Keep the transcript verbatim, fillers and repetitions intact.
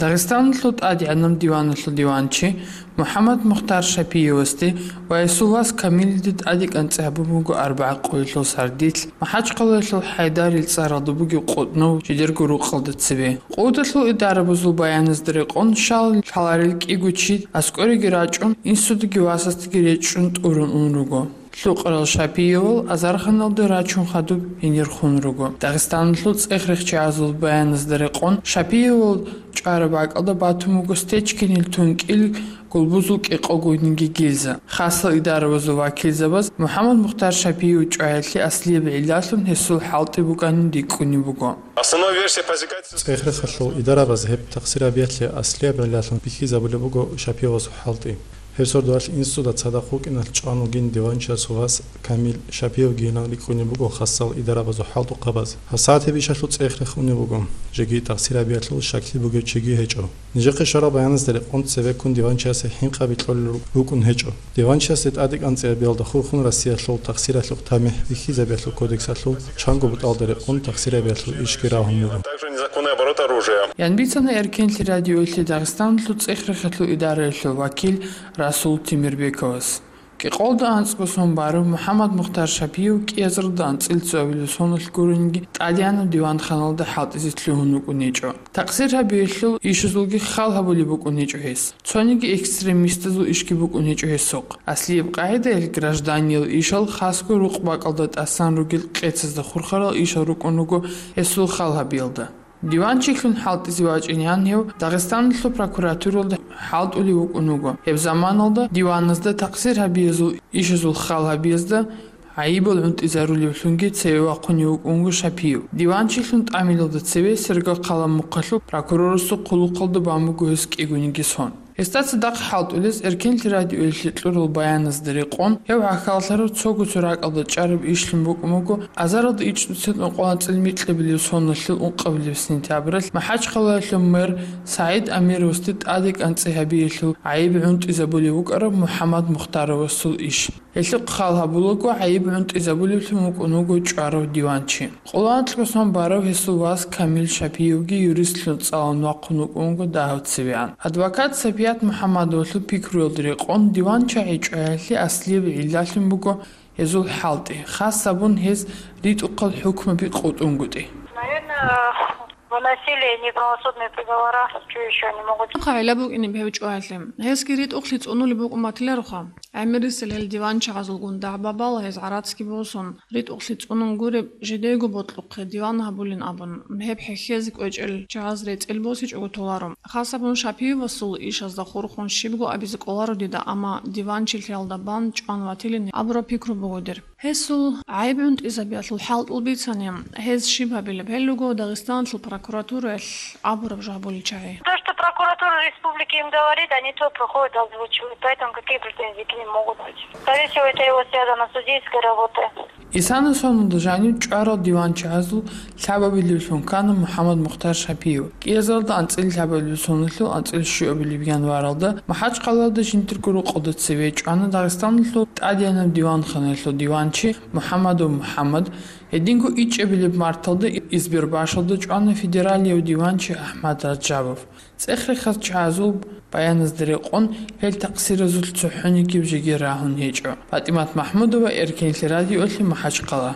Дагъистаналъул тӀадегӀанаб диваналъул диванчи МухӀаммад Мухтар Шапиевасде ва гьесул вас Камилиде тӀаде кӀанцӀи гьабун буго арбагӀа къоялъул сардилъ МахӀачхъалаялъул ХӀайдарил цӀаралда бугеб къотӀнов жидерго рукъалда цебе. Къудалъул идарабазул баяназда рекъон, щал лъаларел кӀиго чи аскӀореги рачӀун, инсудаги васасдаги речӀчӀун тӀурун ун руго. Лъукъарал Шапиевал азарханалда рачун хадуб гьенир хун руго. Дагъистаналъул цӀех-рехчагӀазул баяназда рекъон, Шапиевал чӀвараб бакӀалда батун буго Стечкинил тункӀил гулбузул кӀикъогониги гильза. Хасал идарабазул вакилзабаз МухӀаммад Мухтар Шапиев чӀваялъе аслияб гӀиллалъун гьесул хӀалтӀи букӀанин рикӀкӀунеб буго. Основная версия по секретности. ЦӀех-рехалъул идарабаз гьеб тахсир гьабиялъе аслияб гӀиллалъун бихьизабулеб буго Шапиевасул хӀалтӀи. Гьеб сордоялъ инсуда цадахъ вукӀиналъ чӀван вугин диванчиясул вас Камил Шапиевгийилан рикӀкӀунеб буго хасал идарабазул хӀалтӀухъабаз. ГьабсагӀат гьеб ишалъул цӀех-рех унеб буго, жеги тахсир гьабиялъул щаклъи бугев чиги гьечӀо. Нижехъе щварал баяназда рекъон цебеккун диванчиясе хӀинкъаби кьолел рукӀун гьечӀо. Диванчиясде тӀаде кӀанцӀи гьабиялда хурхун Россиялъул тахсиралъухъ тамихӀ бихьизабиялъул кодексалъул чанго бутӀалда рекъон тахсир гьабиялъул ишги рагьун буго. Также незаконный оборот оружия. Ян бицана Эркенлъи радиоялъе Дагъистаналъул цӀех-рехалъул идараялъул вакил Расул Темирбековас. КӀикъолда анцӀго сон барав МухӀаммад Мухтар Шапиев кӀиазарда анцӀила цоабилеб соналъ гурониги тӀадегӀанаб диванханалда хӀалтӀизе лъугьун вукӀун гьечӀо. Тахсир гьабиялъул ишазулги хал гьабулеб букӀун гьечӀо гьес. Цониги экстремистазул ишги букӀун гьечӀо гьесухъ. Аслияб къагӀидаялъ гражданиял ишал хасго рукъ бакӀалда тӀасан ругел къецазда хурхарал ишал рукӀун руго гьесул хал гьабиялда. Диванчилъун хӀалтӀизе вачӀинегӀан гьев Дагъистаналъул прокуратуралда хӀалтӀулев вукӀун вуго. Гьеб заманалда диваназда тахсир гьабиязул ишазул хал гьабиязда гӀайибал гӀунтӀизарулевлъунги цеве вахъунев вукӀун вуго Шапиев. Диванчилъун тӀамилалда цеве Сергокъала мухъалъул прокурорасул хъулухъалда бан буго гьес кӀигониги сон. Гьесда цадахъ хӀалтӀулез Эркенлъи радиоялъе кьурал баяназда рекъон, гьев гӀахьаллъарав цого цо ракӀалда чӀараб ишлъун букӀун буго, азаралда ичӀнуцин ункъоялда анцӀила микьабилеб соналъул ункъабилеб сентябралъ МахӀачхъалаялъул мэр СагӀид Амировасде тӀаде кӀанцӀи гьабиялъул гӀайиб гӀунтӀизабулев вукӀарав МухӀаммад Мухтаровасул иш. Гьелъухъ хал гьабулаго гӀайиб гӀунтӀизабулевлъун вукӀун вуго чӀварав диванчи. Къоло анкьго сон барав гьесул вас Камил Шапиевги юристлъун цӀалун вахъун вукӀун вуго дагьав цевегӀан. Адвокат Сапият МухӀаммадовалъул пикруялда рекъон, диванчагӀи чӀваялъе аслияб гӀиллалъун буго гьезул хӀалтӀи, хас гьабун гьез ритӀухъал хӀукмаби къотӀунгутӀи. Наверное, выносили неправосудные приговора, что еще они могут? Хъа гӀилла букӀинеб гьев чӀваялъе. Гьесги ритӀухълъи цӀунулеб букӀун батилароха. ГӀемерисел гьел диванчагӀазулгун дагӀба-бала гьез гӀарацги босун, ритӀухълъи цӀунун гуреб, жидего бокьухъе диван гьабулин абун, гьеб хӀехьезе кӀвечӀел чагӀаз рецӀел босичӀого толаро. Хасабун Шапиевасул ишазда хурхун щибго абизе кӀоларо дида, амма диванчилъиялда бан чӀван ватилин абураб пикру буго дир. Гьесул гӀайиб гӀунтӀизабиялъул хӀалтӀул бицани, гьез щиб гьабилеб гьел руго Дагъистаналъул прокуратураялъ абураб жо гьабулел чагӀи. То, что прокуратура республики им говорит, они то проходят, озвучивают. Поэтому какие претензии к ним могут быть? Скорее всего, это его связано с судейской работой. Исана соналда жанив чӀварал диванчагӀазул лъабабилевлъун ккана МухӀаммад Мухтар Шапиев. КӀиазарда анцӀила лъабабилеб соналъул анцӀила щуабилеб январалда МахӀачхъалаялда жиндирго рукъалда цеве чӀвана Дагъистаналъул тӀадегӀанаб диванханаялъул диванчи МухӀаммадов МухӀаммад, гьединго ичӀабилеб марталда Избербашалда чӀвана федералияв диванчи АхӀмад Ражабов. ЦӀех-рехас чагӀазул баяназда рекъон, гьел такъсиразулъ цохӀонигиб жеги рагьун гьечӀо. ПатӀимат МахӀмудова, Эркенлъи радиолъи, МахӀачхъала.